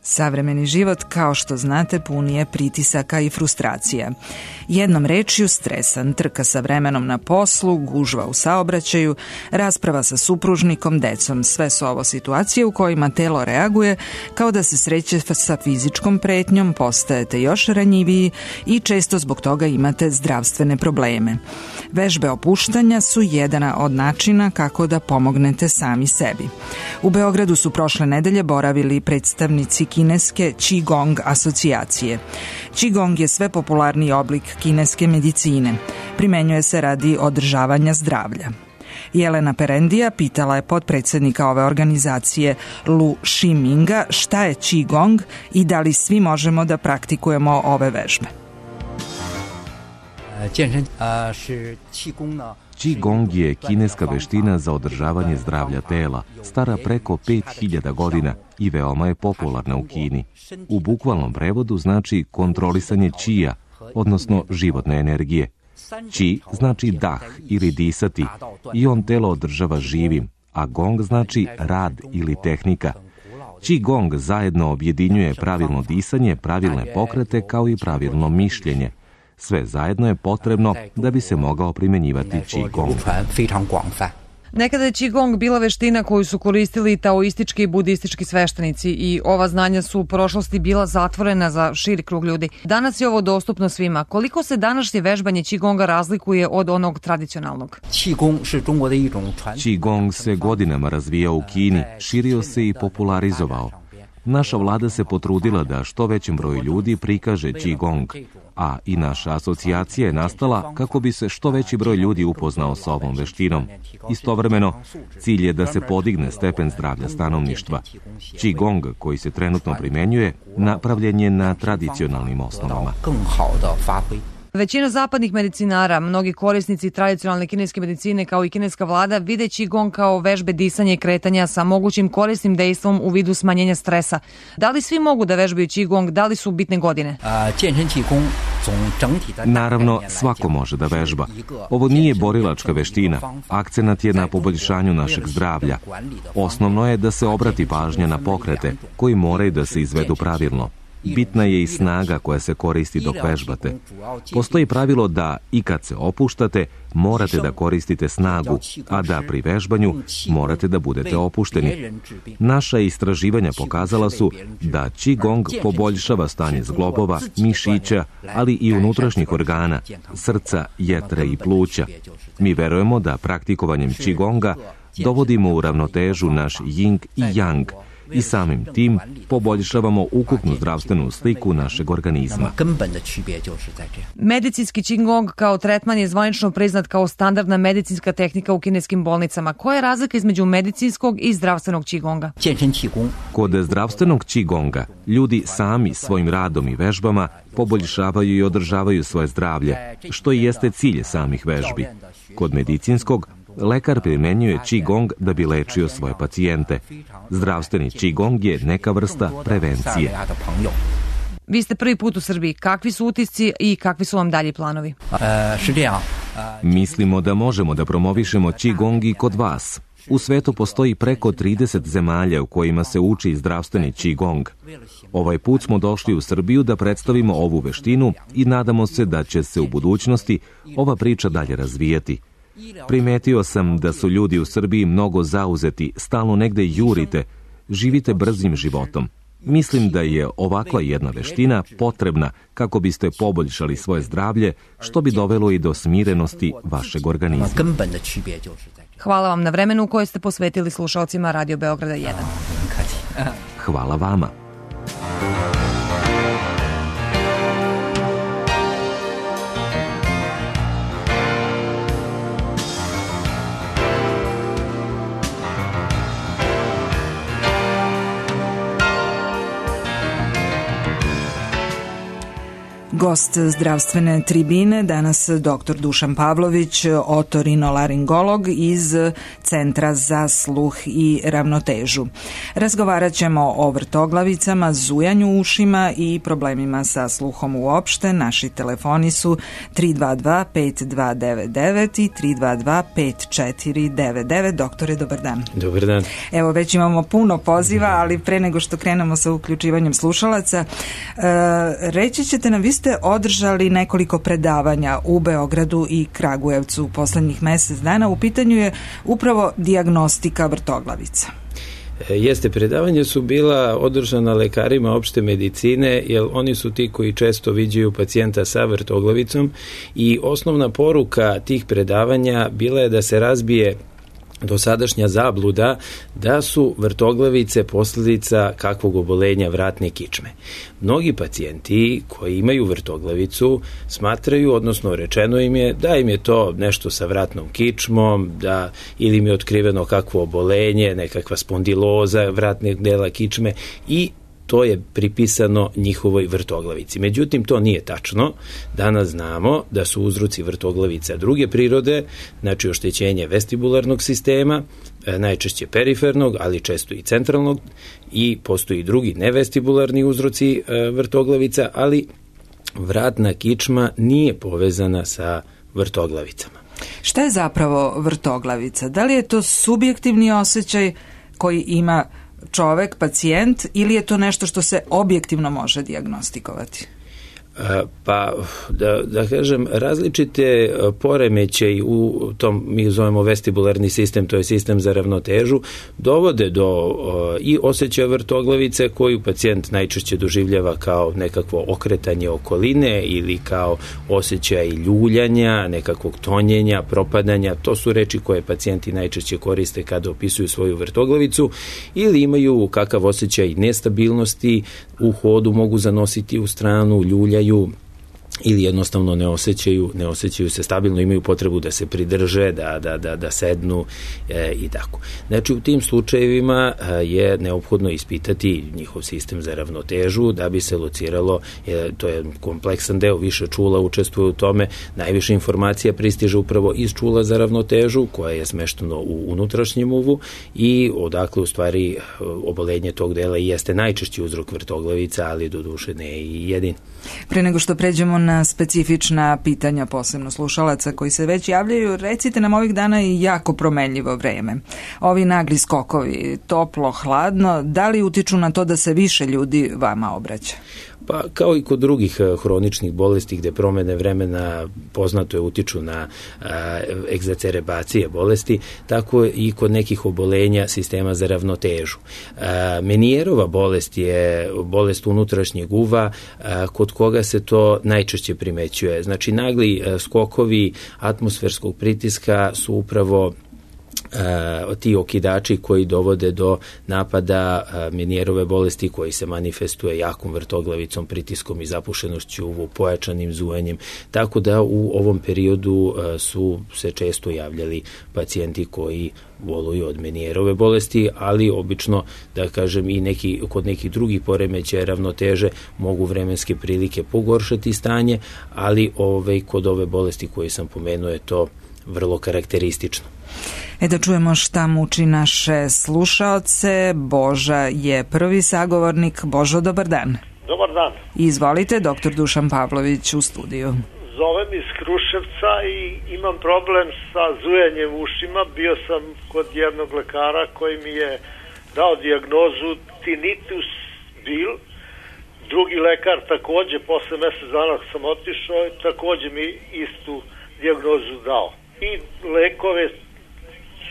Savremeni život, kao što znate, pun je pritisaka i frustracija. Jednom rečju, stresan, trka sa vremenom na poslu, gužva u saobraćaju, rasprava sa supružnikom, decom. Sve su ovo situacije u kojima telo reaguje kao da se sreće sa fizičkom pretnjom, postajete još ranjiviji i često zbog toga imate zdravstvene probleme. Vežbe opuštanja su jedan od načina kako da pomognete sami sebi. U Beogradu su prošle nedelje boravili predstavnici kineske Qigong asocijacije. Qigong je sve popularniji oblik kineske medicine. Primenjuje se radi održavanja zdravlja. Jelena Perendija pitala je potpredsjednika ove organizacije Lu Shiminga šta je Qigong i da li svi možemo da praktikujemo ove vežbe. Qigong je kineska veština za održavanje zdravlja tela, stara preko 5000 godina i veoma je popularna u Kini. U bukvalnom prevodu znači kontrolisanje čija, odnosno životne energije. Qi znači dah ili disati i on telo održava živim, a gong znači rad ili tehnika. Qigong zajedno objedinjuje pravilno disanje, pravilne pokrete kao i pravilno mišljenje. Sve zajedno je potrebno da bi se mogao primjenjivati Qigong. Nekada je Qigong bila veština koju su koristili taoistički i budistički sveštenici i ova znanja su u prošlosti bila zatvorena za širi krug ljudi. Danas je ovo dostupno svima. Koliko se današnje vežbanje Qigonga razlikuje od onog tradicionalnog? Qigong se godinama razvijao u Kini, širio se i popularizovao. Naša vlada se potrudila da što većem broju ljudi prikaže Qigong, a i naša asocijacija je nastala kako bi se što veći broj ljudi upoznao sa ovom veštinom. Istovremeno, cilj je da se podigne stepen zdravlja stanovništva. Qigong, koji se trenutno primenjuje, napravljen je na tradicionalnim osnovama. Većina zapadnih medicinara, mnogi korisnici tradicionalne kineske medicine kao i kineska vlada vide Qigong kao vežbe disanja i kretanja sa mogućim korisnim dejstvom u vidu smanjenja stresa. Da li svi mogu da vežbaju Qigong, da li su bitne godine? Naravno, svako može da vežba. Ovo nije borilačka veština. Akcenat je na poboljšanju našeg zdravlja. Osnovno je da se obrati pažnja na pokrete koji moraju da se izvedu pravilno. Bitna je i snaga koja se koristi dok vežbate. Postoji pravilo da i kad se opuštate, morate da koristite snagu, a da pri vežbanju morate da budete opušteni. Naša istraživanja pokazala su da Qigong poboljšava stanje zglobova, mišića, ali i unutrašnjih organa, srca, jetre i pluća. Mi verujemo da praktikovanjem Qigonga dovodimo u ravnotežu naš Ying i Yang, i samim tim poboljšavamo ukupnu zdravstvenu sliku našeg organizma. Medicinski Qigong kao tretman je zvanično priznat kao standardna medicinska tehnika u kineskim bolnicama. Koja je razlika između medicinskog i zdravstvenog Qigonga? Kod zdravstvenog Qigonga ljudi sami svojim radom i vežbama poboljšavaju i održavaju svoje zdravlje, što i jeste cilj samih vežbi. Kod medicinskog lekar primenjuje Qigong da bi lečio svoje pacijente. Zdravstveni Qigong je neka vrsta prevencije. Vi ste prvi put u Srbiji. Kakvi su utisci i kakvi su vam dalji planovi? Mislimo da možemo da promovišemo Qigong i kod vas. U svetu postoji preko 30 zemalja u kojima se uči zdravstveni Qigong. Ovaj put smo došli u Srbiju da predstavimo ovu veštinu i nadamo se da će se u budućnosti ova priča dalje razvijati. Primetio sam da su ljudi u Srbiji mnogo zauzeti, stalno negde jurite, živite brzim životom. Mislim da je ovakva jedna veština potrebna kako biste poboljšali svoje zdravlje, što bi dovelo i do smirenosti vašeg organizma. Hvala vam na vremenu koje ste posvetili slušalcima Radio Beograda 1. Hvala vama. Gost zdravstvene tribine, danas dr. Dušan Pavlović, otorinolaringolog iz Centra za sluh i ravnotežu. Razgovarat ćemo o vrtoglavicama, zujanju u ušima i problemima sa sluhom uopšte. Naši telefoni su 322 5299 i 322 5499. Doktore, dobar dan. Dobar dan. Evo, već imamo puno poziva, ali pre nego što krenemo sa uključivanjem slušalaca, reći ćete nam, vi ste održali nekoliko predavanja u Beogradu i Kragujevcu u poslednjih mesec dana. U pitanju je upravo dijagnostika vrtoglavica. Jeste, predavanja su bila održana lekarima opšte medicine, jer oni su ti koji često viđaju pacijenta sa vrtoglavicom i osnovna poruka tih predavanja bila je da se razbije dosadašnja zabluda da su vrtoglavice posljedica kakvog obolenja vratne kičme. Mnogi pacijenti koji imaju vrtoglavicu smatraju, odnosno rečeno im je da im je to nešto sa vratnom kičmom, da ili im je otkriveno kakvo obolenje, nekakva spondiloza vratnog dela kičme i to je pripisano njihovoj vrtoglavici. Međutim, to nije tačno. Danas znamo da su uzroci vrtoglavica druge prirode, znači oštećenje vestibularnog sistema, najčešće perifernog, ali često i centralnog, i postoji drugi nevestibularni uzroci vrtoglavica, ali vratna kičma nije povezana sa vrtoglavicama. Šta je zapravo vrtoglavica? Da li je to subjektivni osjećaj koji ima čovek, pacijent, ili je to nešto što se objektivno može dijagnostikovati? Pa, da kažem, različite poremećaji u tom, mi zovemo vestibularni sistem, to je sistem za ravnotežu, dovode do i osjećaja vrtoglavice koju pacijent najčešće doživljava kao nekakvo okretanje okoline ili kao osjećaj ljuljanja, nekakvog tonjenja, propadanja. To su reči koje pacijenti najčešće koriste kada opisuju svoju vrtoglavicu, ili imaju kakav osjećaj nestabilnosti, u hodu mogu zanositi u stranu, ljuljaju ili jednostavno ne osjećaju se stabilno, imaju potrebu da se pridrže, da sednu i tako. Znači, u tim slučajevima je neophodno ispitati njihov sistem za ravnotežu da bi se lociralo, to je kompleksan deo, više čula učestvuje u tome, najviše informacija pristiže upravo iz čula za ravnotežu koja je smešteno u unutrašnjem uvu i odakle u stvari obolenje tog dela i jeste najčešći uzrok vrtoglavica, ali doduše ne i jedin. Pre nego što pređemo na specifična pitanja, posebno slušalaca koji se već javljaju, recite nam, ovih dana je jako promenljivo vreme. Ovi nagli skokovi, toplo, hladno, da li utiču na to da se više ljudi vama obraća? Pa kao i kod drugih hroničnih bolesti gde promene vremena poznato je utiču na egzacerebacije bolesti, tako i kod nekih obolenja sistema za ravnotežu. Menijerova bolest je bolest unutrašnjeg uva kod koga se to najčešće primećuje. Znači, nagli skokovi atmosferskog pritiska su upravo ti okidači koji dovode do napada Menijerove bolesti koji se manifestuje jakom vrtoglavicom, pritiskom i zapušenošću uvu, pojačanim zujanjem, tako da u ovom periodu su se često javljali pacijenti koji boluju od Menijerove bolesti, ali obično, da kažem, i kod nekih drugih poremećaja ravnoteže mogu vremenske prilike pogoršati stanje, ali kod ove bolesti koje sam pomenuo je to vrlo karakteristično. Da čujemo šta muči naše slušaoce. Boža je prvi sagovornik. Božo, dobar dan. Dobar dan. Izvolite, doktor Dušan Pavlović u studiju. Zovem iz Kruševca i imam problem sa zujanjem u ušima. Bio sam kod jednog lekara koji mi je dao dijagnozu tinnitus bil. Drugi lekar takođe, posle mesec dana sam otišao, takođe mi istu dijagnozu dao. I lekove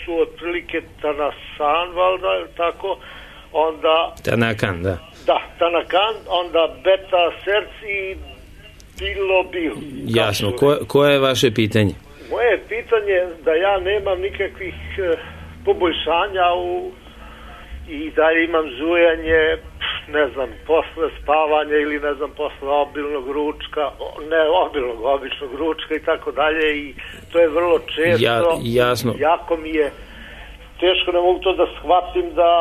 su otprilike Tanakan, valjda, tako, onda... Tanakan, da. Da, Tanakan, onda Beta Serc i Bilobil. Jasno, koje je vaše pitanje? Moje pitanje je da ja nemam nikakvih poboljšanja i da imam zujanje, ne znam, posle spavanja ili ne znam, posle obilnog ručka, običnog ručka i tako dalje, i to je vrlo često. Jasno. Jako mi je teško, ne mogu to da shvatim da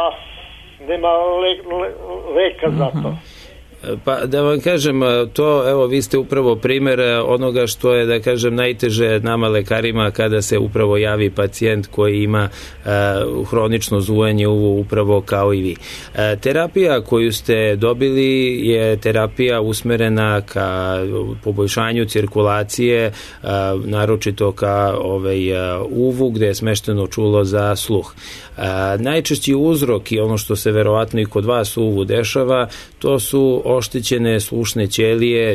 nema leka za to. Pa da vam kažem, to, evo, vi ste upravo primer onoga što je, da kažem, najteže nama lekarima kada se upravo javi pacijent koji ima hronično zujanje upravo kao i vi. Terapija koju ste dobili je terapija usmerena ka poboljšanju cirkulacije, naročito ka uvu gde je smešteno čulo za sluh. Najčešći uzrok i ono što se verovatno i kod vas u uvu dešava, to su oštećene slušne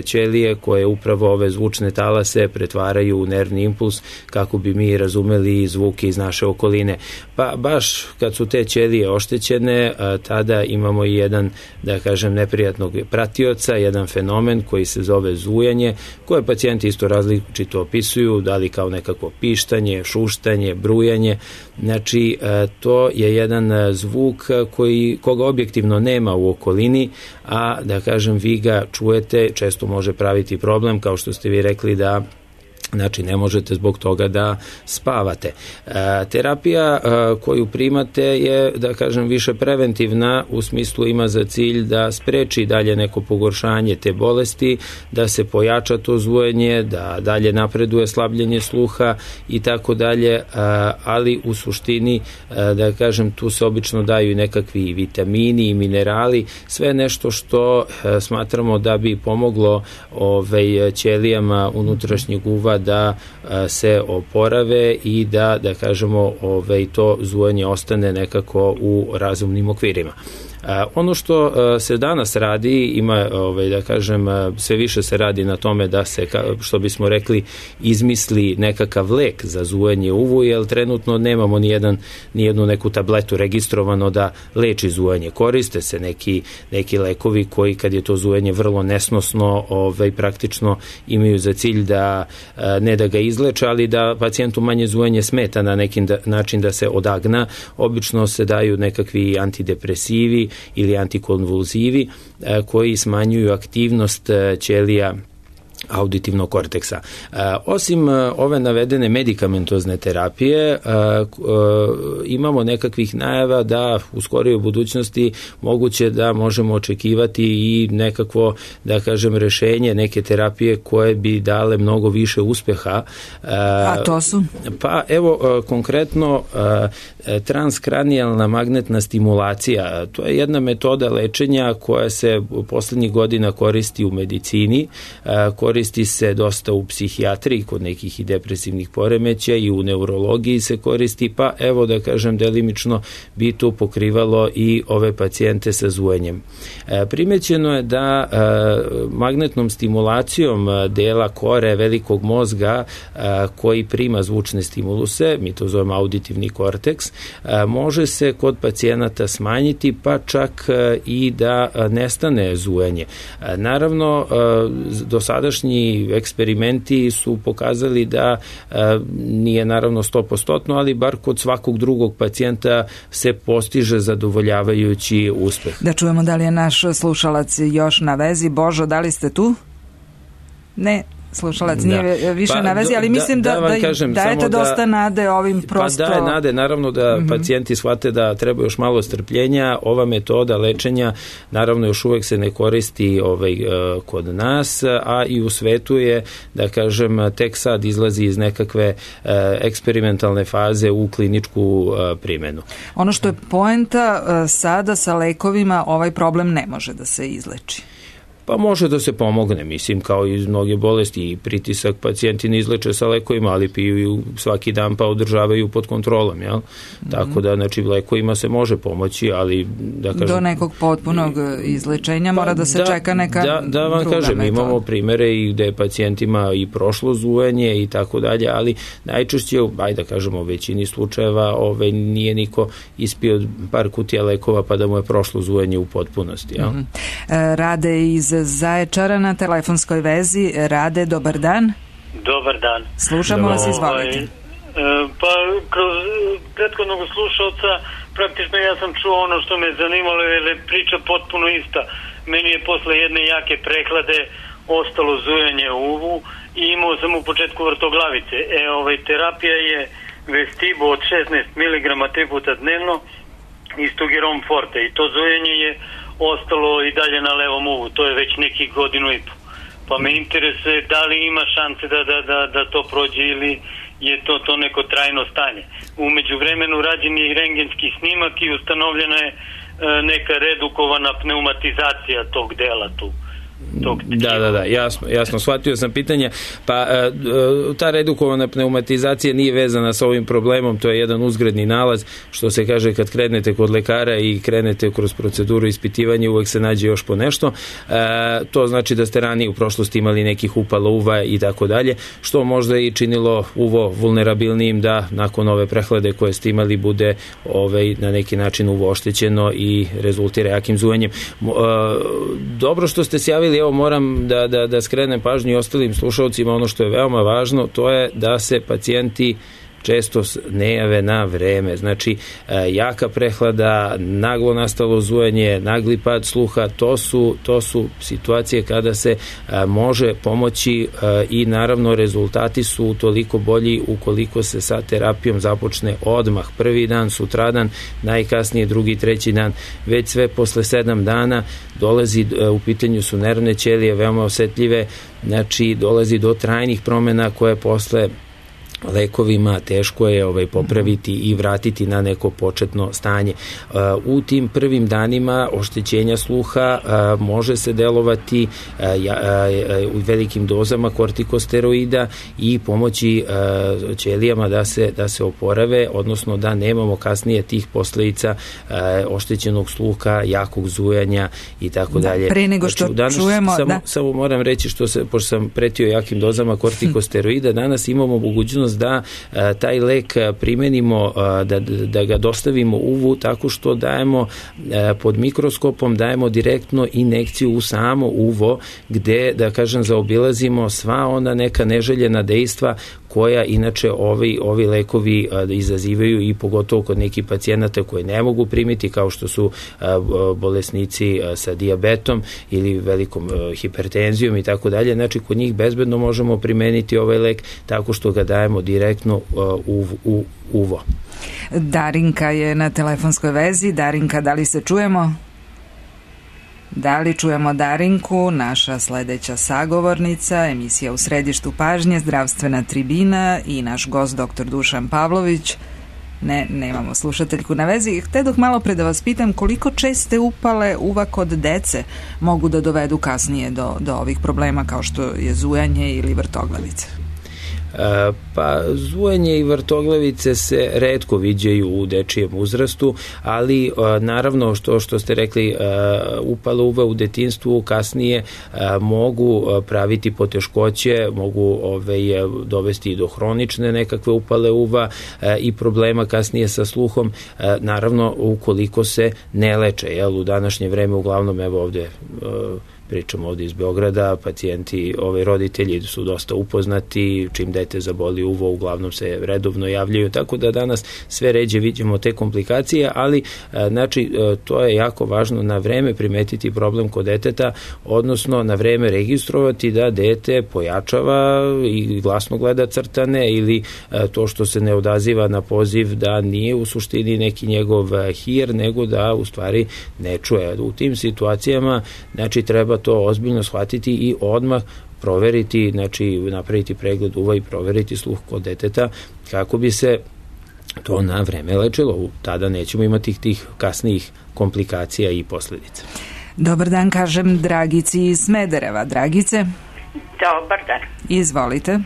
ćelije koje upravo ove zvučne talase pretvaraju u nervni impuls kako bi mi razumeli zvuke iz naše okoline. Pa baš kad su te ćelije oštećene, tada imamo i jedan, da kažem, neprijatnog pratioca, jedan fenomen koji se zove zujanje, koje pacijenti isto različito opisuju, da li kao nekako pištanje, šuštanje, brujanje. Znači, to je jedan zvuk koga objektivno nema u okolini, a da kažem vi ga čujete, često može praviti problem, kao što ste vi rekli da znači ne možete zbog toga da spavate. Terapija koju primate je, da kažem, više preventivna, u smislu ima za cilj da spreči dalje neko pogoršanje te bolesti, da se pojača to zvojenje, da dalje napreduje slabljenje sluha i tako dalje, ali u suštini, da kažem, tu se obično daju i nekakvi vitamini i minerali, sve nešto što smatramo da bi pomoglo ćelijama unutrašnjeg uva da se oporave i da kažemo, to zujanje ostane nekako u razumnim okvirima. Ono što se danas radi, ima, da kažem, sve više se radi na tome da se, što bismo rekli, izmisli nekakav lek za zujanje uvu, jer trenutno nemamo nijednu neku tabletu registrovano da leči zujanje. Koriste se neki lekovi koji, kad je to zujanje vrlo nesnosno, praktično imaju za cilj da ne da ga izleče, ali da pacijentu manje zujanje smeta na neki način da se odagna. Obično se daju nekakvi antidepresivi ili antikonvulzivi koji smanjuju aktivnost ćelija auditivnog korteksa. Osim ove navedene medikamentozne terapije, imamo nekakvih najava da u skorijoj budućnosti moguće da možemo očekivati i nekakvo, da kažem, rešenje, neke terapije koje bi dale mnogo više uspeha. A to su? Pa evo, konkretno transkranijalna magnetna stimulacija. To je jedna metoda lečenja koja se poslednjih godina koristi u medicini, koristi se dosta u psihijatriji kod nekih i depresivnih poremećaja i u neurologiji se koristi, pa evo, da kažem, delimično bi to pokrivalo i ove pacijente sa zujenjem. Primećeno je da magnetnom stimulacijom dela kore velikog mozga koji prima zvučne stimuluse, mi to zovemo auditivni korteks, može se kod pacijenata smanjiti, pa čak i da nestane zujanje. Naravno, dosadašnji eksperimenti su pokazali da nije naravno 100%, ali bar kod svakog drugog pacijenta se postiže zadovoljavajući uspeh. Da čujemo da li je naš slušalac još na vezi. Božo, da li ste tu? Ne. Slušalac nije više na vezi, ali mislim da dajete dosta nade ovim prosto... Pa daje nade, naravno da pacijenti shvate da treba još malo strpljenja. Ova metoda lečenja naravno još uvek se ne koristi kod nas, a i u svetu je, da kažem, tek sad izlazi iz nekakve eksperimentalne faze u kliničku primenu. Ono što je poenta, sada sa lekovima ovaj problem ne može da se izleči. Pa može da se pomogne, mislim, kao i mnoge bolesti i pritisak pacijenti ne izleče sa lekovima, ali piju svaki dan pa održavaju pod kontrolom, jel? Tako da, znači, lekovima se može pomoći, ali da kažem... Do nekog potpunog izlečenja mora da se čeka neka druga metoda. Da vam kažem, imamo primere i gde pacijentima i prošlo zujanje i tako dalje, ali najčešće, ajde da kažemo, u većini slučajeva nije niko ispio par kutija lekova pa da mu je prošlo zujanje u potpunosti, jel? Rade iz Zaječara na telefonskoj vezi. Rade, dobar dan. Dobar dan. Slušamo vas, izvolite. Pa kroz prethodnog slušalca praktično ja sam čuo ono što me zanimalo, jer je priča potpuno ista. Meni je posle jedne jake prehlade ostalo zujanje u uvu i imao sam u početku vrtoglavice. Terapija je Vestibo od 16 mg 3 puta dnevno i Stugiron Forte, i to zujanje je ostalo i dalje na levom uvu. To je već nekih godinu i po. Pa me interesuje da li ima šanse da to prođe ili je to neko trajno stanje. U međuvremenu rađen je i rentgenski snimak i ustanovljena je neka redukovana pneumatizacija tog dela tu. Da, jasno, shvatio sam pitanja. Pa ta redukovana pneumatizacija nije vezana sa ovim problemom, to je jedan uzgredni nalaz, što se kaže kad krenete kod lekara i krenete kroz proceduru ispitivanja, uvek se nađe još po nešto. To znači da ste ranije u prošlosti imali nekih upala uva i tako dalje, što možda i činilo uvo vulnerabilnijim da nakon ove prehlade koje ste imali bude na neki način uvo oštećeno i rezultira jakim zujanjem. Dobro što ste se javili. Evo moram da skrenem pažnju i ostalim slušalcima, ono što je veoma važno, to je da se pacijenti često ne jave na vreme. Znači, jaka prehlada, naglo nastalo zujanje, nagli pad sluha, to su situacije kada se može pomoći i naravno rezultati su toliko bolji ukoliko se sa terapijom započne odmah. Prvi dan, sutradan, najkasnije drugi, treći dan, već sve posle 7 dana dolazi, u pitanju su nervne ćelije veoma osetljive, znači dolazi do trajnih promena koje posle lekovima teško je popraviti i vratiti na neko početno stanje. U tim prvim danima oštećenja sluha može se delovati u velikim dozama kortikosteroida i pomoći ćelijama da se oporave, odnosno da nemamo kasnije tih posledica oštećenog sluha, jakog zujanja i tako dalje. Pre nego što čujemo... Samo moram reći, pošto sam pretio jakim dozama kortikosteroida, danas imamo mogućnost da taj lek primenimo, da ga dostavimo uvu tako što dajemo pod mikroskopom, dajemo direktno injekciju u samo uvo, gde, da kažem, zaobilazimo sva ona neka neželjena dejstva koja inače ovi lekovi izazivaju i pogotovo kod nekih pacijenata koji ne mogu primiti, kao što su bolesnici sa dijabetom ili velikom hipertenzijom i tako dalje. Znači, kod njih bezbedno možemo primeniti ovaj lek tako što ga dajemo direktno u uvo. Darinka je na telefonskoj vezi. Darinka, da li se čujemo? Da li čujemo Darinku, naša sledeća sagovornica, emisija U središtu pažnje, zdravstvena tribina i naš gost dr. Dušan Pavlović. Nemamo slušateljku na vezi. Htedok malo pre da vas pitam koliko česte upale uva kod dece mogu da dovedu kasnije do ovih problema kao što je zujanje ili vrtoglavice? Pa zujanje i vrtoglavice se retko viđaju u dečijem uzrastu, ali naravno što ste rekli, upale uva u detinjstvu kasnije mogu praviti poteškoće, mogu dovesti do hronične nekakve upale uva i problema kasnije sa sluhom, naravno ukoliko se ne leče. U današnje vreme uglavnom, evo ovde pričamo ovdje iz Beograda, pacijenti, roditelji su dosta upoznati, čim dete zaboli uvo, uglavnom se redovno javljaju, tako da danas sve ređe vidimo te komplikacije, ali znači to je jako važno na vreme primetiti problem kod deteta, odnosno na vreme registrovati da dete pojačava i glasno gleda crtane ili to što se ne odaziva na poziv da nije u suštini neki njegov hir, nego da u stvari ne čuje. U tim situacijama znači treba to ozbiljno shvatiti i odmah proveriti, znači napraviti pregled uva i proveriti sluh kod deteta kako bi se to na vreme lečilo. Tada nećemo imati tih kasnijih komplikacija i posljedica. Dobar dan, kažem Dragici iz Smedereva. Dragice? Dobar dan. Izvolite.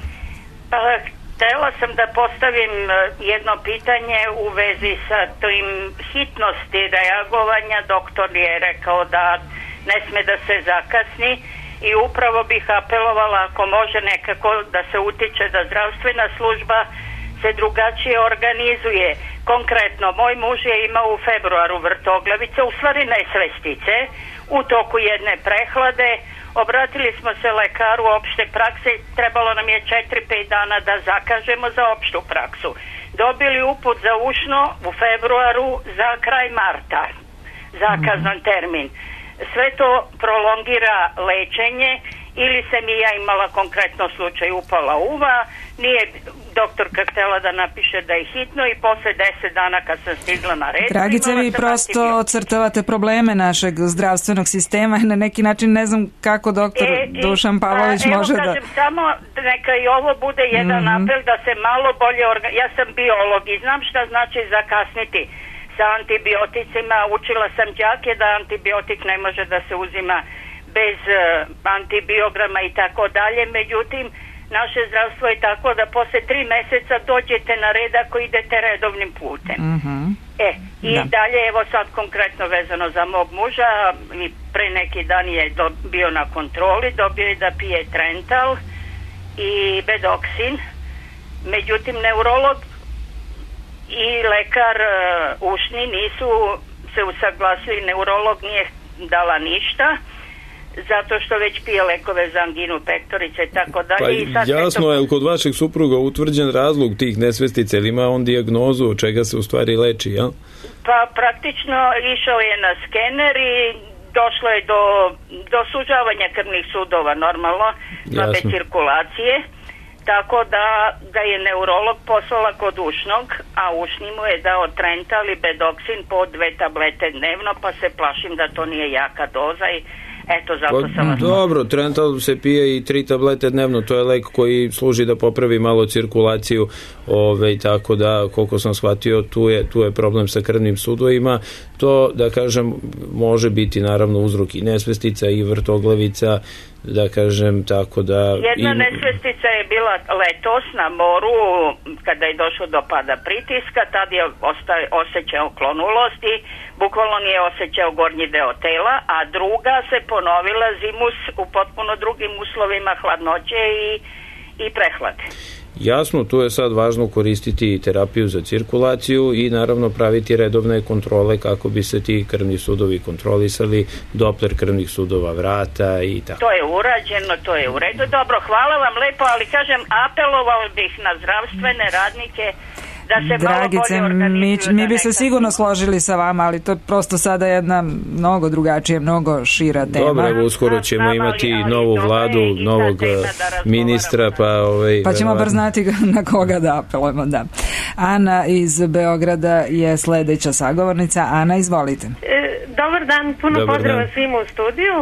Htela sam da postavim jedno pitanje u vezi sa tim hitnosti reagovanja. Doktor je rekao da ne sme da se zakasni i upravo bih apelovala ako može nekako da se utiče da zdravstvena služba se drugačije organizuje. Konkretno, moj muž je imao u februaru vrtoglavice, u stvari nesvestice, u toku jedne prehlade. Obratili smo se lekaru opšte prakse, trebalo nam je 4-5 dana da zakažemo za opštu praksu. Dobili uput za ušno u februaru za kraj marta, zakazan termin. Sve to prolongira lečenje ili sam i ja imala konkretno slučaj upala uva, nije doktorka htjela da napiše da je hitno i posle 10 dana kad sam stigla na red... Dragice, vi prosto ocrtavate probleme našeg zdravstvenog sistema i na neki način ne znam kako doktor Dušan Pavlović može da... Kažem, samo neka i ovo bude jedan apel da se malo bolje... Ja sam biolog i znam šta znači zakasniti sa antibioticima. Učila sam đake da antibiotik ne može da se uzima bez antibiograma i tako dalje. Međutim, naše zdravstvo je tako da posle 3 meseca dođete na red ako idete redovnim putem. Dalje, evo sad konkretno vezano za mog muža, i pre neki dan je bio na kontroli, dobio je da pije Trental i Bedoksin. Međutim, neurolog i lekar ušni nisu se usaglasili, neurolog nije dala ništa, zato što već pije lekove za anginu pektorice i tako dalje. Pa jasno, je li kod vašeg supruga utvrđen razlog tih nesvestica, ili ima on dijagnozu od čega se u stvari leči, ja? Pa praktično išao je na skener i došlo je do sužavanja krvnih sudova, normalno, slabe cirkulacije, tako da ga je neurolog poslala kod ušnog, a ušni mu je dao Trental i Bedoksin po 2 tablete dnevno, pa se plašim da to nije jaka doza i eto, zato sam vas... Dobro, Trental se pije i 3 tablete dnevno, to je lek koji služi da popravi malo cirkulaciju, tako da, koliko sam shvatio, tu je problem sa krvnim sudovima. To, da kažem, može biti naravno uzrok i nesvestica i vrtoglavica, da kažem, tako da... Jedna nesvestica je bila letos na moru, kada je došlo do pada pritiska, tad je osjećao klonulost i bukvalno nije osjećao gornji deo tela, a druga se ponovila zimus u potpuno drugim uslovima hladnoće i prehlade. Jasno, tu je sad važno koristiti terapiju za cirkulaciju i naravno praviti redovne kontrole kako bi se ti krvni sudovi kontrolisali, Doppler krvnih sudova vrata i tako. To je urađeno, to je u redu. Dobro, hvala vam lepo, ali kažem, apelovao bih na zdravstvene radnike da se Dragice, malo bolje organizuju. Mi bi se sigurno složili sa vama, ali to je prosto sada jedna mnogo drugačija, mnogo šira tema. Dobro, uskoro ćemo imati novu vladu, novog ministra, pa ćemo bar znati na koga da apelujemo, da. Ana iz Beograda je sledeća sagovornica. Ana, izvolite. Dobar dan, puno pozdrava svima u studiju.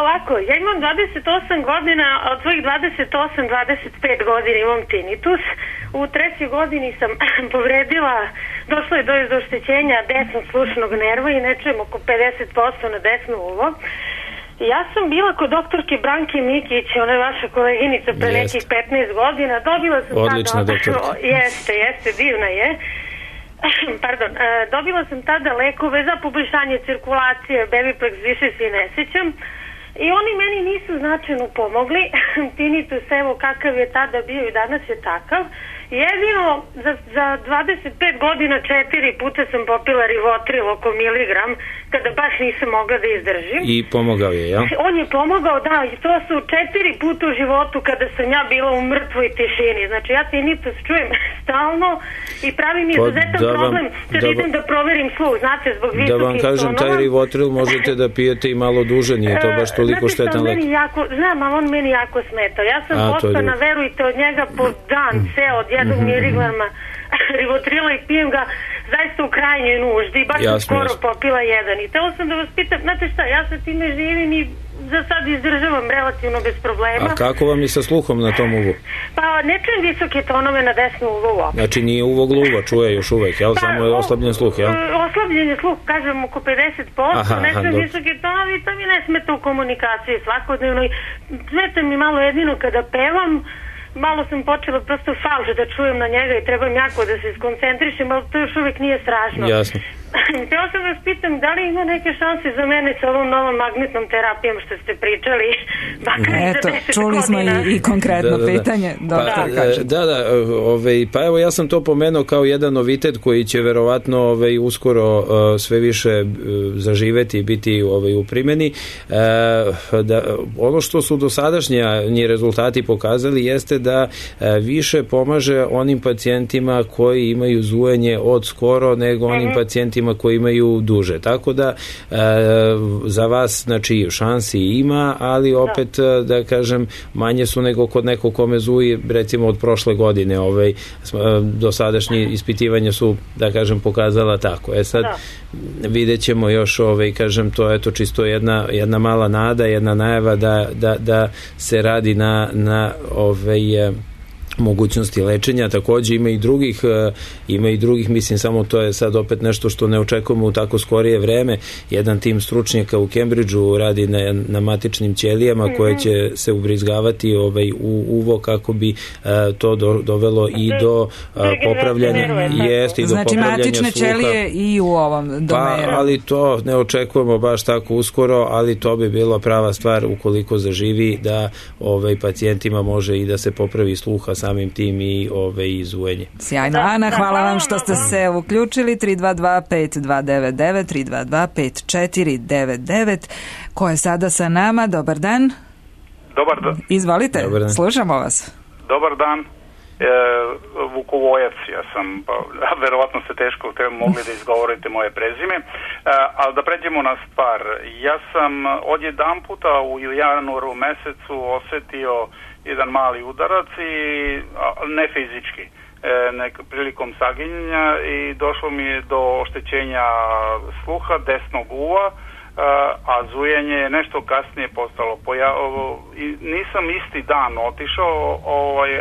Ovako, ja imam 28 godina, od svojih 28-25 godina imam tinnitus. U 3. godini sam povredila, došlo je do oštećenja desnog slušnog nerva i ne čujem oko 50% na desno uvo. Ja sam bila kod doktorke Branke Mikić, ona je vaša koleginica pre nekih 15 godina. Dobila sam odlična doktorka. Jeste, divna je. Dobila sam tada lekove za poboljšanje cirkulacije, Bebiplex više se ne sjećam. I oni meni nisu značajno pomogli. Tinnitus, evo kakav je tada bio i danas je takav. Jedino za 25 godina 4 puta sam popila Rivotril oko miligram, kada baš nisam mogla da izdržim. I pomogao je, ja? On je pomogao, da, i to su 4 puta u životu kada sam ja bila u mrtvoj tišini. Znači ja tinnitus čujem stalno i pravi mi izuzetan problem kad idem da proverim sluh, znate, zbog visokih tonova. Da vam kažem, taj Rivotril možete da pijete i malo duže, nije to baš toliko štetan lek. Znam, ali on meni jako smeta. Ja sam postana, verujte, od njega po dan, ceo, od 1 miligrama Rivotrila i pijem ga zaista u krajnjoj nuždi. Baš sam skoro popila jedan. I telo sam da vas pitam, znate šta, ja sa time živim i za sad izdržavam relativno bez problema. A kako vam je sa sluhom na tom uvu? Pa ne čujem visoke tonove na desnu uvu uopšte. Znači nije uvo gluva, čuje još uvek, jel? Samo je oslabljen sluh, jel? Oslabljen je sluh, kažem, oko 50%, ne čujem visoke tonove i to mi ne smeta u komunikaciji svakodnevno. Smeta mi malo jedino kada pevam. Malo sam počela prosto falš da čujem na njega i trebam jako da se skoncentrišem, ali to još uvijek nije strašno. Jasno. Htjela sam vas pitam, da li ima neke šanse za mene sa ovom novom magnetnom terapijom što ste pričali? Eto, čuli smo i konkretno pitanje. Pa evo ja sam to pomenuo kao jedan novitet koji će verovatno uskoro sve više zaživeti i biti u primjeni. Ono što su dosadašnji rezultati pokazali jeste da više pomaže onim pacijentima koji imaju zujanje od skoro nego onim pacijentima pacijentima koji imaju duže. Tako da za vas znači šansi ima, ali opet da kažem manje su nego kod nekog kome zuje recimo od prošle godine. Dosadašnje ispitivanja su da kažem pokazala tako. Sad vidjet ćemo još kažem to je to čisto jedna mala nada, jedna najava da se radi na mogućnosti lečenja. Takođe ima i drugih, mislim samo to je sad opet nešto što ne očekujemo u tako skorije vreme. Jedan tim stručnjaka u Cambridgeu radi na matičnim ćelijama koje će se ubrizgavati u uvo kako bi to dovelo i do popravljanja znači matične ćelije i u ovom domenu. Ali to ne očekujemo baš tako uskoro, ali to bi bila prava stvar ukoliko zaživi da pacijentima može i da se popravi sluha samim tim i zujenje. Sjajno. Ana, hvala vam što ste se uključili. 322-5299, 322-5499. Ko je sada sa nama? Dobar dan. Dobar dan. Izvolite, slušamo vas. Dobar dan. Vukovojac, ja sam, verovatno se teško mogli da izgovorite moje prezime, ali da pređemo na stvar. Ja sam odjedan puta u januaru mesecu osetio jedan mali udarac i ne fizički, prilikom saginjanja i došlo mi je do oštećenja sluha desnog uva, a zujenje je nešto kasnije postalo. Nisam isti dan otišao,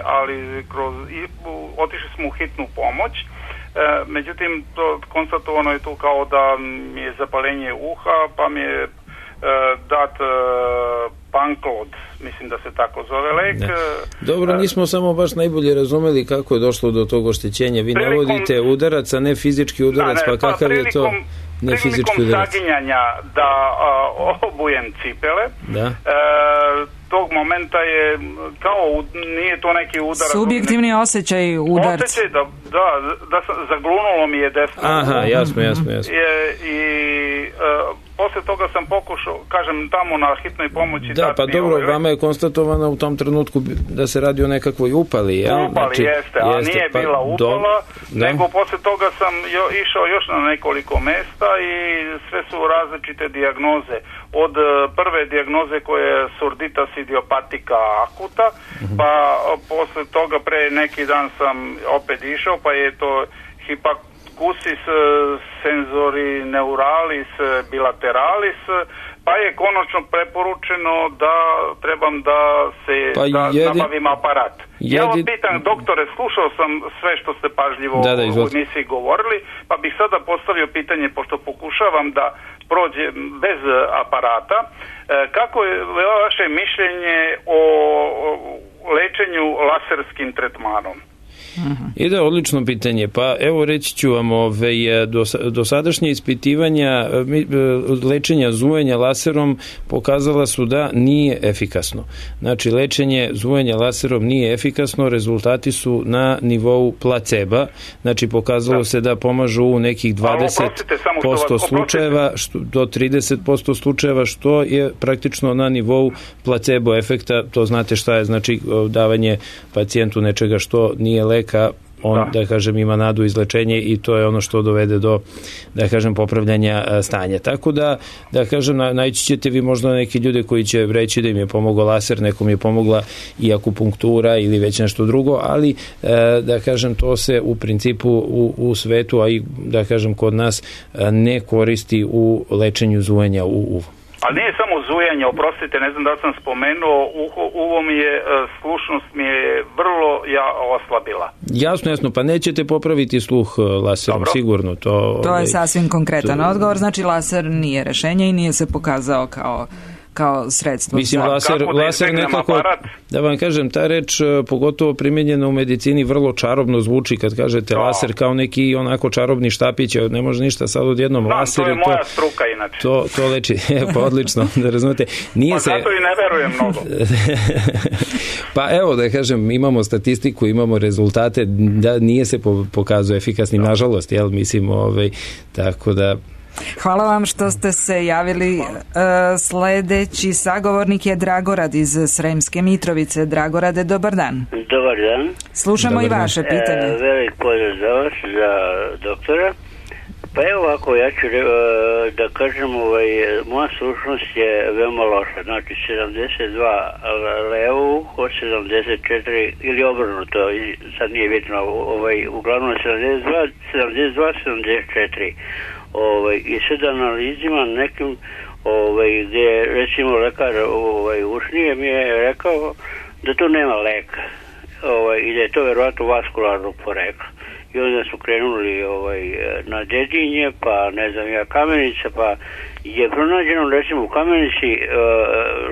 ali otišli smo u hitnu pomoć. Međutim, konstatovano je tu kao da mi je zapalenje uha, pa mi je dat Panklod, mislim da se tako zove lek. Dobro, nismo samo baš najbolje razumeli kako je došlo do tog oštećenja. Vi navodite udarac, a ne fizički udarac, pa kakav je to ne fizički udarac? Prilikom saginjanja da obujem cipele, tog momenta je kao, nije to neki udarac. Subjektivni osjećaj udarca. Osjećaj da zaglunulo mi je desno. Aha, jasno. I posle toga sam pokušao, kažem, tamo na hitnoj pomoći. Da, pa dobro, vama je konstatovano u tom trenutku da se radi o nekakvoj upali, jel? Upali jeste, a nije bila upala, nego posle toga sam išao još na nekoliko mesta i sve su različite dijagnoze. Od prve dijagnoze koja je surditas idiopatika akuta, pa posle toga pre neki dan sam opet išao, pa je to hipakusis senzori neuralis bilateralis, pa je konačno preporučeno da trebam da se nabavim aparat. Ja vam pitam, doktore, slušao sam sve što ste pažljivo u emisiji govorili, pa bih sada postavio pitanje, pošto pokušavam da prođe bez aparata, kako je vaše mišljenje o lečenju laserskim tretmanom? Ide odlično pitanje. Pa evo reći ću vam, dosadašnje ispitivanja lečenja zujenja laserom pokazala su da nije efikasno. Znači, lečenje zujenja laserom nije efikasno, rezultati su na nivou placeba. Znači, pokazalo se da pomažu u nekih 20% slučajeva do 30% slučajeva, što je praktično na nivou placebo efekta. To znate šta je, znači davanje pacijentu nečega što nije leka, on, da kažem, ima nadu izlečenje i to je ono što dovede do, da kažem, popravljanja stanja. Tako da kažem, naći ćete vi možda neki ljude koji će reći da im je pomogao laser, nekom je pomogla i akupunktura ili već nešto drugo, ali da kažem, to se u principu u svetu, a i da kažem kod nas, ne koristi u lečenju zujenja u uvu. Ali nije samo zujanje, oprostite, ne znam da sam spomenuo, uvo mi je, slušnost mi je vrlo oslabila. Jasno, pa nećete popraviti sluh laserom, sigurno. To je sasvim konkretan odgovor, znači laser nije rešenje i nije se pokazao kao sredstvo. Mislim, laser nekako, da vam kažem, ta reč, pogotovo primijenjena u medicini, vrlo čarobno zvuči kad kažete laser, kao neki onako čarobni štapić, ne može ništa sad odjednom laser. To je moja struka inače. To leči, pa odlično, da razumete. Zato i ne verujem mnogo. Pa evo, da kažem, imamo statistiku, imamo rezultate, da nije se pokazao efikasnim, nažalost, jel, mislim, tako da... Hvala vam što ste se javili. Sledeći sagovornik je Dragorad iz Sremske Mitrovice. Dragorade, dobar dan. Dobar dan. Slušamo i vaše pitanje. Velik pozdrav za vas, za doktora. Pa evo ovako, ja ću da kažem, moja slušnost je veoma loša, znači 72 levo uho, 74 ili obrnuto, sad nije bitno, uglavnom 72, 74. I sad analizima nekim, gdje recimo lekar ušnije mi je rekao da tu nema leka i da je to verovatno vaskularnog porekla. I onda su krenuli na Dedinje, pa ne znam ja, Kamenica, pa je pronađeno recimo u Kamenici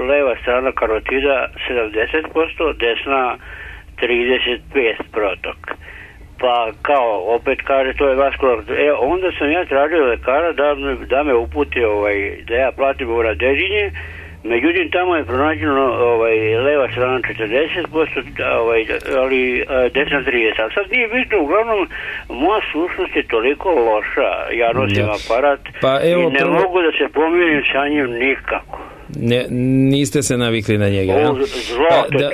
leva strana karotida 70%, desna 35 protok. Pa kao, opet kaže, to je vaskularno. Onda sam ja tražio lekara da me uputi, da ja platim na Dedinje. Međutim, tamo je pronađeno leva strana 40%, ali desna 30%. A sad nije bitno, uglavnom, moja slušnost je toliko loša, ja nosim aparat i ne mogu da se pomirim sa njim nikako. Niste se navikli na njega.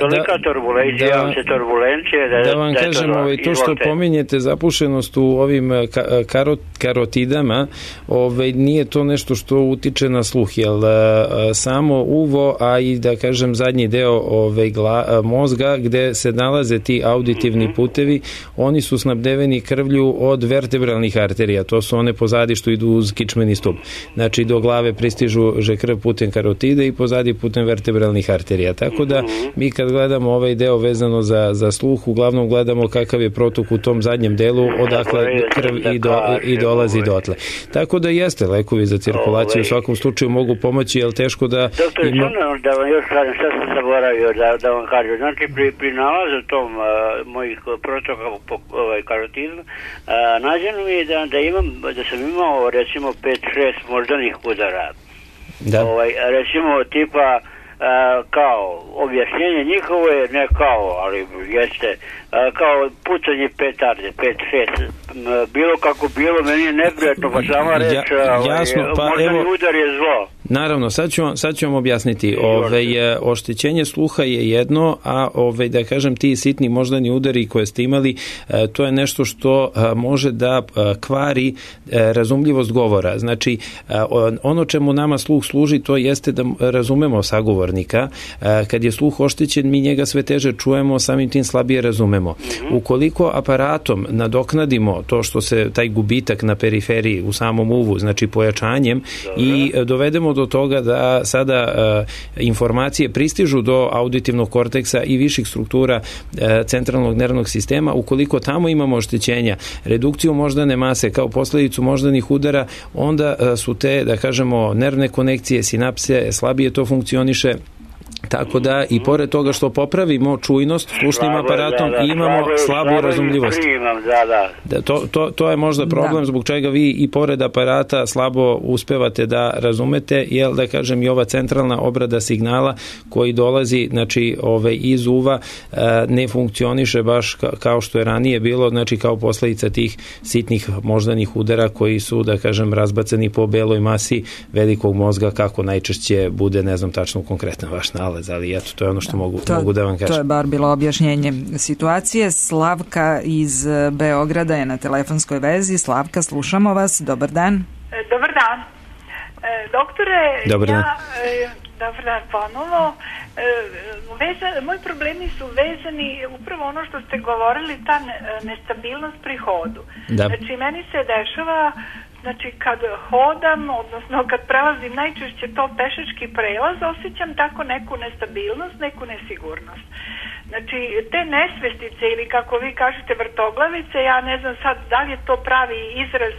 Tolika turbulencija. Da vam kažem, to što pominjete zapušenost u ovim karotidama, nije to nešto što utiče na sluh, jer samo uvo, a i da kažem zadnji deo mozga gde se nalaze ti auditivni putevi, oni su snabdeveni krvlju od vertebralnih arterija, to su one pozadi što idu uz kičmeni stup. Znači do glave pristižu krv putem karotida i pozadi putem vertebralnih arterija. Tako da mi kad gledamo ovaj deo vezano za sluh, uglavnom gledamo kakav je protok u tom zadnjem delu, odakle krv i dolazi dotle. Tako da jeste, lekovi za cirkulaciju u svakom slučaju mogu pomoći, jer teško da... Doktor, da vam još kažem, sad sam zaboravio da vam kažem. Znači, pri nalazu tom mojih protoka po karotidu, nađeno mi je da sam imao recimo 5-6 moždanih udara. Recimo tipa kao objašnjenje njihovo je ne kao, ali jeste kao pucanje petarde 5-6, bilo kako bilo, meni je neprijatno, pa sama reč moždani udar je zlo. Naravno, sad ću vam objasniti. Oštećenje sluha je jedno, a da kažem ti sitni moždani udari koje ste imali, to je nešto što može da kvari razumljivost govora. Znači, ono čemu nama sluh služi, to jeste da razumemo sagovornika. Kad je sluh oštećen, mi njega sve teže čujemo, samim tim slabije razumemo. Ukoliko aparatom nadoknadimo to što se taj gubitak na periferiji u samom uvu, znači pojačanjem, i dovedemo do toga da sada informacije pristižu do auditivnog korteksa i viših struktura centralnog nervnog sistema, ukoliko tamo imamo oštećenja, redukciju moždane mase kao posledicu moždanih udara, onda su te, da kažemo, nervne konekcije, sinapse, slabije to funkcioniše. Tako da i pored toga što popravimo čujnost slušnim aparatom, imamo slabu razumljivost. To je možda problem zbog čega vi i pored aparata slabo uspevate da razumete, jer da kažem i ova centralna obrada signala koji dolazi, znači iz uva, ne funkcioniše baš kao što je ranije bilo, znači kao posledica tih sitnih moždanih udara koji su, da kažem, razbacani po beloj masi velikog mozga, kako najčešće bude, ne znam tačno konkretno vaš nalaz, ali eto, to je ono što mogu da vam kažem. To je bar bilo objašnjenje situacije. Slavka iz Beograda je na telefonskoj vezi. Slavka, slušamo vas. Dobar dan. Dobar dan. Doktore, dobar dan. Dobar dan ponovo. Moji problemi su vezani upravo ono što ste govorili, ta nestabilnost pri hodu. Da. Znači, meni se dešava, znači kad hodam, odnosno kad prelazim najčešće to pešački prelaz, osjećam tako neku nestabilnost, neku nesigurnost. Znači, te nesvestice ili kako vi kažete vrtoglavice, ja ne znam sad da li je to pravi izraz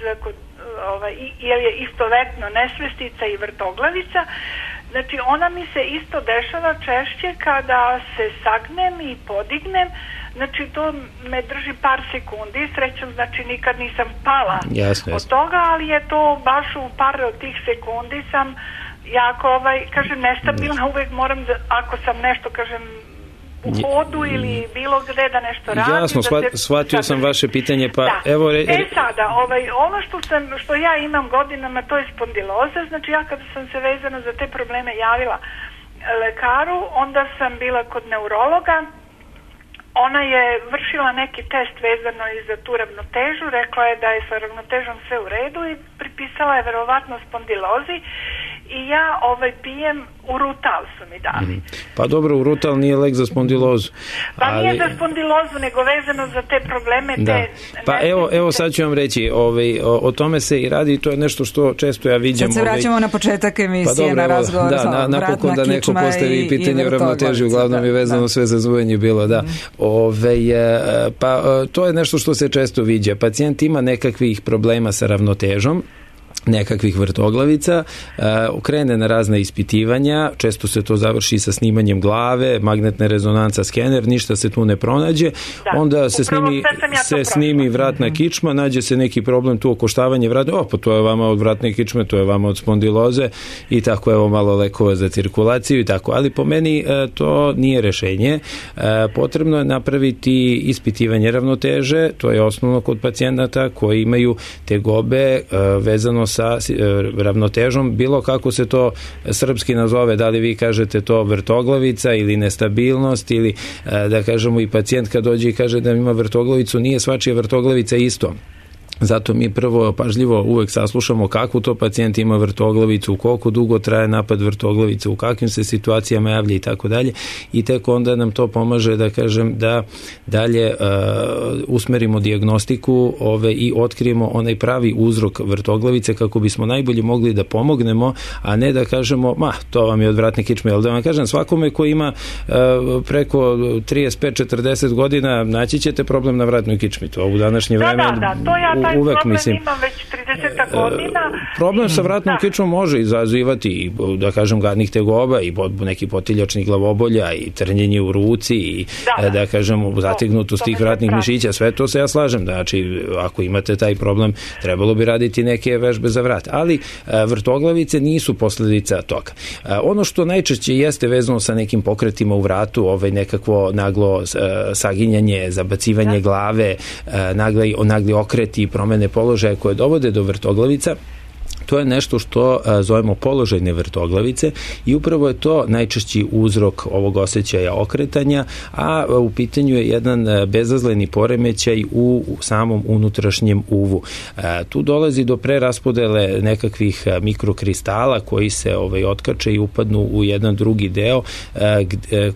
ili je istovetno nesvestica i vrtoglavica. Znači, ona mi se isto dešava češće kada se sagnem i podignem. Znači, to me drži par sekundi, srećom, znači nikad nisam pala od toga, ali je to baš u par od tih sekundi sam jako, kažem, nestabilna, uvek moram da, ako sam nešto, kažem, u hodu ili bilo gde da nešto radim. Jasno, shvatio sam vaše pitanje, pa da. Evo... sada, ono što ja imam godinama, to je spondiloza, znači ja kada sam se vezano za te probleme javila lekaru, onda sam bila kod neurologa, ona je vršila neki test vezano i za tu ravnotežu, rekla je da je sa ravnotežom sve u redu i pripisala je verovatno spondilozi i ja pijem urutal su mi dali. Pa dobro, urutal nije lek za spondilozu. Pa nije za spondilozu, nego vezano za te probleme. Da. Pa evo sad ću vam reći, o tome se i radi, to je nešto što često ja vidim. Sad se vraćamo na početak emisije, na razgovor. Da, napokon da neko postavi pitanje o ravnoteži, uglavnom je vezano sve za zvujenje bilo, da. Pa to je nešto što se često viđa. Pacijent ima nekakvih problema sa ravnotežom, nekakvih vrtoglavica, krene na razne ispitivanja, često se to završi sa snimanjem glave, magnetna rezonanca, skener, ništa se tu ne pronađe, onda se snimi vratna kičma, nađe se neki problem tu, okoštavanje vrata, pa to je vama od vratne kičme, to je vama od spondiloze i tako, evo malo lekova za cirkulaciju i tako, ali po meni to nije rešenje. Potrebno je napraviti ispitivanje ravnoteže, to je osnovno kod pacijenata koji imaju tegobe vezano sa ravnotežom, bilo kako se to srpski nazove, da li vi kažete to vrtoglavica ili nestabilnost ili da kažemo i pacijent kad dođe i kaže da ima vrtoglavicu, nije svačija vrtoglavica isto. Zato mi prvo pažljivo uvek saslušamo kakvu to pacijent ima vrtoglavicu, koliko dugo traje napad vrtoglavice, u kakvim se situacijama javlja i tako dalje, i tek onda nam to pomaže da kažem da dalje usmerimo dijagnostiku i otkrijemo onaj pravi uzrok vrtoglavice kako bismo najbolje mogli da pomognemo, a ne da kažemo to vam je od vratne kičme, ali da vam kažem svakome ko ima preko 35-40 godina naći ćete problem na vratnoj kičmi, to u današnje vreme to ja taj uvek, problem imam već 30 godina. Problem sa vratnom kičmom može izazivati i, da kažem, gadnih tegoba i neki potiljačnih glavobolja i trnjenje u ruci i da kažem zategnutost tih vratnih mišića, sve to se ja slažem. Znači, ako imate taj problem, trebalo bi raditi neke vežbe za vrat. Ali vrtoglavice nisu posledica toga. Ono što najčešće jeste vezano sa nekim pokretima u vratu, nekakvo naglo saginjanje, zabacivanje glave, nagli okreti, promene položaja koje dovode do vrtoglavica, to je nešto što zovemo položajne vrtoglavice i upravo je to najčešći uzrok ovog osjećaja okretanja, a u pitanju je jedan bezazleni poremećaj u samom unutrašnjem uvu. Tu dolazi do preraspodele nekakvih mikrokristala koji se otkače i upadnu u jedan drugi deo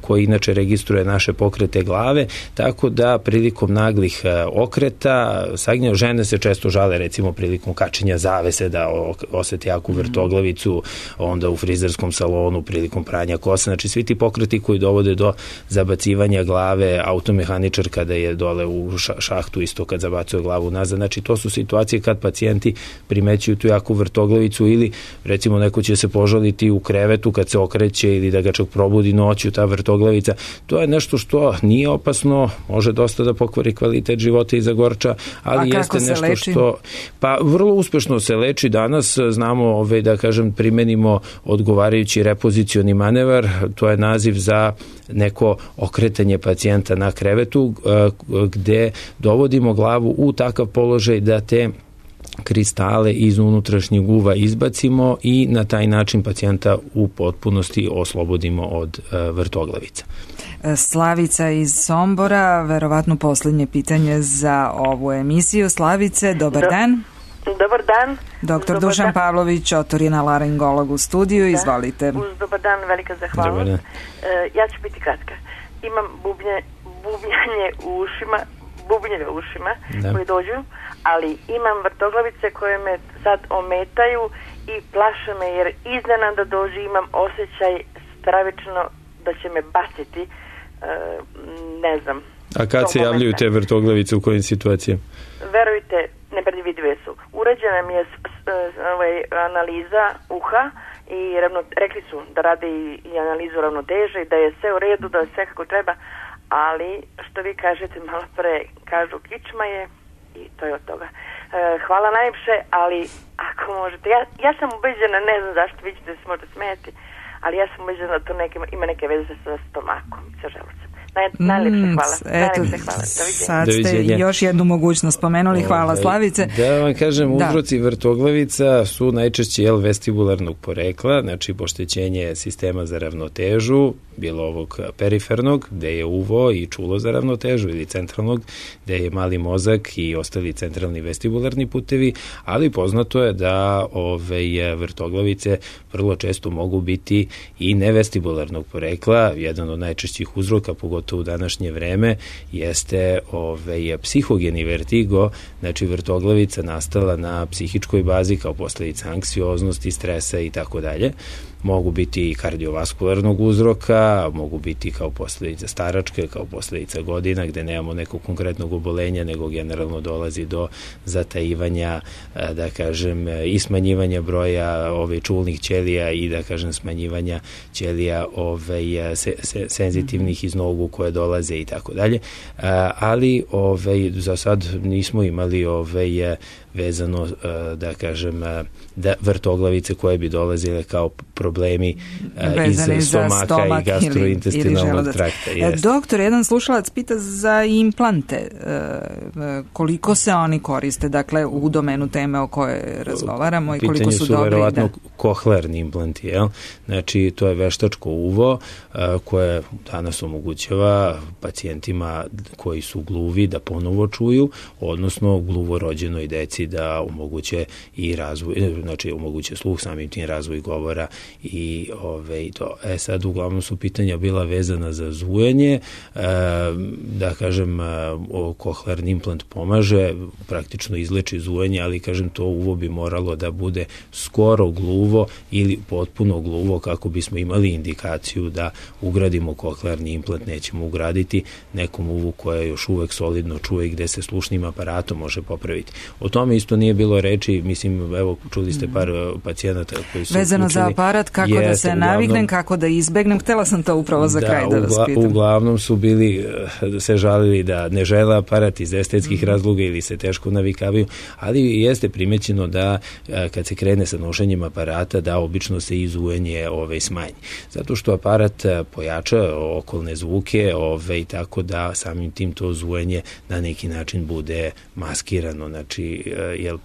koji inače registruje naše pokrete glave, tako da prilikom naglih okreta saginja, žene se često žale recimo prilikom kačenja zavese da osjeti jaku vrtoglavicu, onda u frizerskom salonu prilikom pranja kosa, znači svi ti pokreti koji dovode do zabacivanja glave, automehaničar kada je dole u šahtu isto kad zabacuje glavu nazad, znači to su situacije kad pacijenti primećuju tu jaku vrtoglavicu ili recimo neko će se požaliti u krevetu kad se okreće ili da ga čak probudi noću ta vrtoglavica, to je nešto što nije opasno, može dosta da pokvari kvalitet života i zagorča, ali jeste nešto što pa vrlo uspešno se leči danas. Znamo da kažem primenimo odgovarajući repozicioni manevar, to je naziv za neko okretanje pacijenta na krevetu gde dovodimo glavu u takav položaj da te kristale iz unutrašnjeg uva izbacimo i na taj način pacijenta u potpunosti oslobodimo od vrtoglavica. Slavica iz Sombora, verovatno posljednje pitanje za ovu emisiju. Slavice, dobar dan. Dobar dan. Doktor Dušan Pavlović, otorinolaringolog u studiju, izvolite. Dobar dan, velika zahvalnost. Ja ću biti kratka. Imam bubnjanje u ušima, bubnjeve u ušima koji dođu, ali imam vrtoglavice koje me sad ometaju i plaše me jer iznenada dođu, imam osjećaj stravično da će me baciti, ne znam. A kad se javljaju te vrtoglavice, u kojim situacijama? Verujte, nepredvidive su. Urađena mi je analiza uha i rekli su da rade i analizu ravnoteže i da je sve u redu, da je sve kako treba, ali što vi kažete malo pre, kažu kičma je i to je od toga. Hvala najljepše, ali ako možete, ja sam ubeđena, ne znam zašto, vi ćete se možda smijeti, ali ja sam ubeđena da to ima neke veze sa stomakom, sa želucem. Najlepše hvala. Sad ste još jednu mogućnost spomenuli. Hvala, Slavice. Da vam kažem, uzroci vrtoglavica su najčešće vestibularnog porekla, znači poštećenje sistema za ravnotežu, bilo ovog perifernog, gde je uvo i čulo za ravnotežu, ili centralnog, gde je mali mozak i ostali centralni vestibularni putevi, ali poznato je da vrtoglavice vrlo često mogu biti i nevestibularnog porekla. Jedan od najčešćih uzroka, pogotovo u današnje vreme, jeste psihogeni vertigo, znači vrtoglavica nastala na psihičkoj bazi kao posledica anksioznosti, stresa i tako dalje. Mogu biti i kardiovaskularnog uzroka, mogu biti kao posledica staračke, kao posledica godina, gde nemamo nekog konkretnog obolenja, nego generalno dolazi do zatajivanja, da kažem, i smanjivanja broja čulnih ćelija i, da kažem, smanjivanja ćelija senzitivnih iz nogu koje dolaze i tako dalje. Ali za sad nismo imali vezano, da kažem, da vrtoglavice koje bi dolazile kao problemi iz stomaka i gastrointestinalnog trakta. Doktor, jedan slušalac pita za implante. Koliko se oni koriste, dakle, u domenu teme o kojoj razgovaramo i koliko su dobri? Pitanju su verovatno kohlearni implanti, jel? Znači, to je veštačko uvo koje danas omogućava pacijentima koji su gluvi da ponovo čuju, odnosno gluvorođenoj deci da omoguće i razvoj, znači omoguće sluh, samim tim razvoj govora i to. Sad uglavnom su pitanja bila vezana za zujanje, da kažem, kohlearni implant pomaže, praktično izleči zujanje, ali kažem, to uvo bi moralo da bude skoro gluvo ili potpuno gluvo kako bismo imali indikaciju da ugradimo kohlearni implant. Nećemo ugraditi nekom uvu koja još uvek solidno čuje i gde se slušnim aparatom može popraviti. O tome isto nije bilo reči, mislim, evo, čuli ste par pacijenata koji su vezano učili, za aparat, kako da se naviknem, kako da izbegnem, htela sam to upravo za kraj da vas pitam. Uglavnom su bili, se žalili da ne žele aparat iz estetskih razloga ili se teško navikavaju, ali jeste primećeno da kad se krene sa nošenjem aparata, da obično se izujanje smanji. Zato što aparat pojača okolne zvuke i tako da samim tim to zujanje na neki način bude maskirano. Znači, jer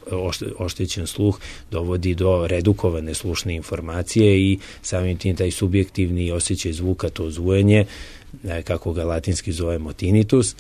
oštećen sluh dovodi do redukovane slušne informacije i samim tim taj subjektivni osjećaj zvuka, to zujanje, kako ga latinski zovemo tinnitus,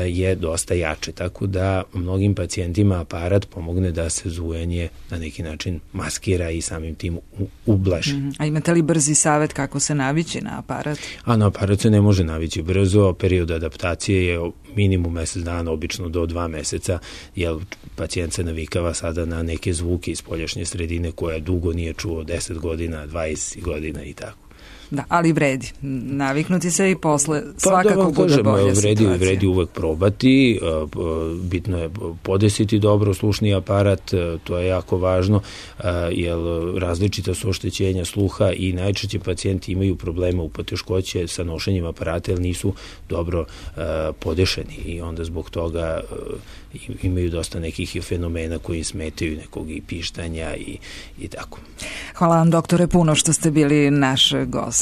je dosta jače. Tako da mnogim pacijentima aparat pomogne da se zujanje na neki način maskira i samim tim ublaži. A imate li brzi savjet kako se navići na aparat? Na aparat se ne može navići brzo. Period adaptacije je minimum mesec dana, obično do 2 meseca, jer pacijent se navikava sada na neke zvuke iz spoljašnje sredine koje dugo nije čuo, 10 godina, 20 godina i tako. Da, ali vredi. Naviknuti se i posle svakako bude bolja situacija. Vredi uvek probati, bitno je podesiti dobro slušni aparat, to je jako važno, jer različita su oštećenja sluha i najčešće pacijenti imaju problema u poteškoće sa nošenjem aparata, jer nisu dobro podešeni i onda zbog toga imaju dosta nekih fenomena koji smetaju, nekog i pištanja i tako. Hvala vam, doktore, puno što ste bili naš gost.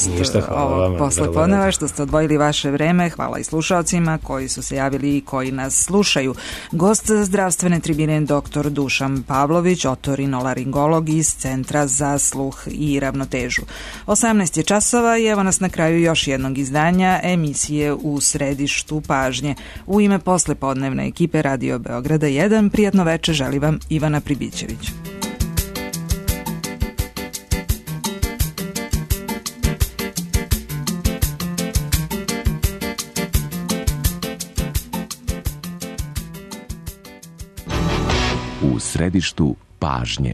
Ovog poslepodneva, što ste odvojili vaše vreme. Hvala i slušalcima koji su se javili i koji nas slušaju. Gost zdravstvene tribine dr. Dušan Pavlović, otorinolaringolog iz Centra za sluh i ravnotežu. 18 je časova i evo nas na kraju još jednog izdanja emisije U središtu pažnje. U ime poslepodnevne ekipe Radio Beograda 1, prijatno veče želi vam Ivana Pribićević. U središtu pažnje.